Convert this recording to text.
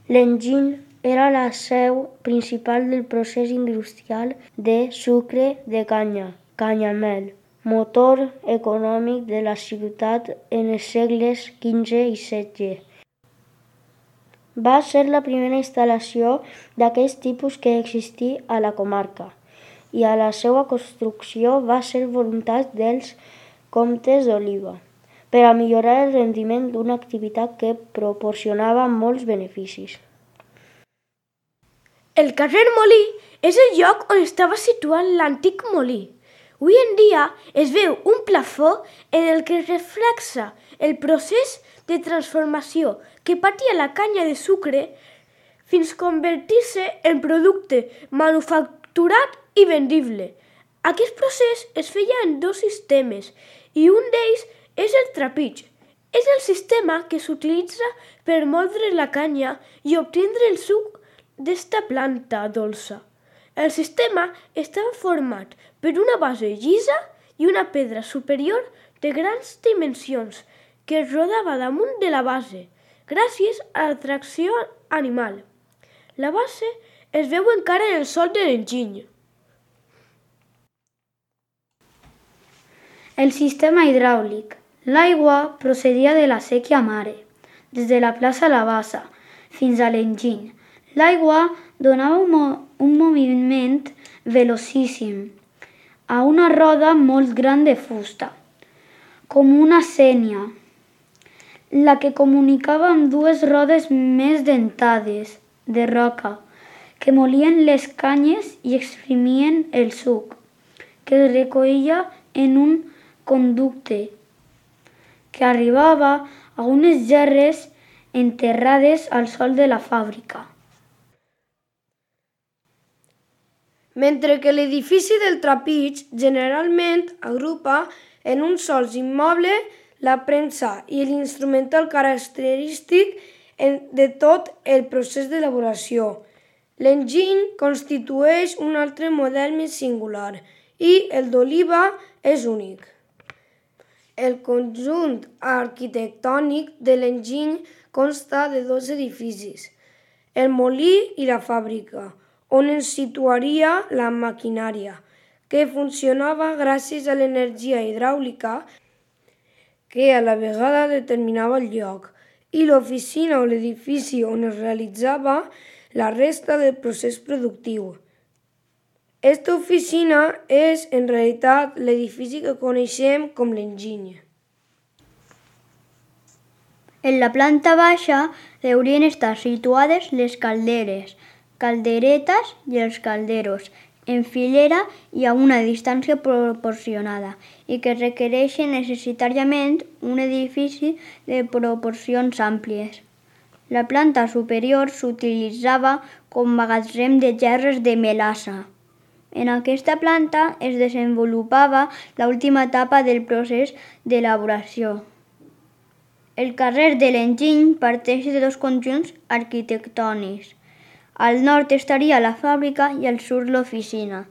L'enginy era la seu principal del procés industrial de sucre de canya, canyamel, motor econòmic de la ciutat en els segles XV i XVI. Va ser la primera instal·lació d'aquest tipus que existí a la comarca i a la seva construcció va ser voluntat dels comtes d'Oliva per a millorar el rendiment d'una activitat que proporcionava molts beneficis. El carrer Molí és el lloc on estava situat l'antic molí. Avui en dia es veu un plafó en el que es reflexa el procés de transformació que patia la canya de sucre fins convertir-se en producte manufacturat i vendible. Aquest procés es feia en dos sistemes i un d'ells és el trapig. És el sistema que s'utilitza per moldre la canya i obtindre el suc d'esta planta dolça. El sistema estava format per una base llisa i una pedra superior de grans dimensions que es rodava damunt de la base, gràcies a la tracció animal. La base es veu encara en el sòl de l'enginy. El sistema hidràulic. L'aigua procedia de la séquia mare, des de la plaça La Bassa fins a l'enginy. L'aigua donava un moviment velocíssim a una roda molt gran de fusta, com una sénia, la que comunicava amb dues rodes més dentades, de roca, que molien les canyes i exprimien el suc, que es recollia en un conducte que arribava a unes gerres enterrades al sòl de la fàbrica. Mentre que l'edifici del trapig generalment agrupa en un sol immoble la premsa i l'instrumental característic de tot el procés d'elaboració. L'enginy constitueix un altre model més singular i el d'Oliva és únic. El conjunt arquitectònic de l'enginy consta de dos edificis, el molí i la fàbrica, on es situaria la maquinària, que funcionava gràcies a l'energia hidràulica que a la vegada determinava el lloc, i l'oficina o l'edifici on es realitzava la resta del procés productiu. Esta oficina és, en realitat, l'edifici que coneixem com l'enginy. En la planta baixa deurien estar situades les calderes, calderetes i els calderos, en filera i a una distància proporcionada, i que requereixen necessàriament un edifici de proporcions àmplies. La planta superior s'utilitzava com magatzem de gerres de melassa. En aquesta planta es desenvolupava l'última etapa del procés d'elaboració. El carrer de l'enginy parteix de dos conjunts arquitectònics. Al nord estaria la fàbrica i al sud l'oficina.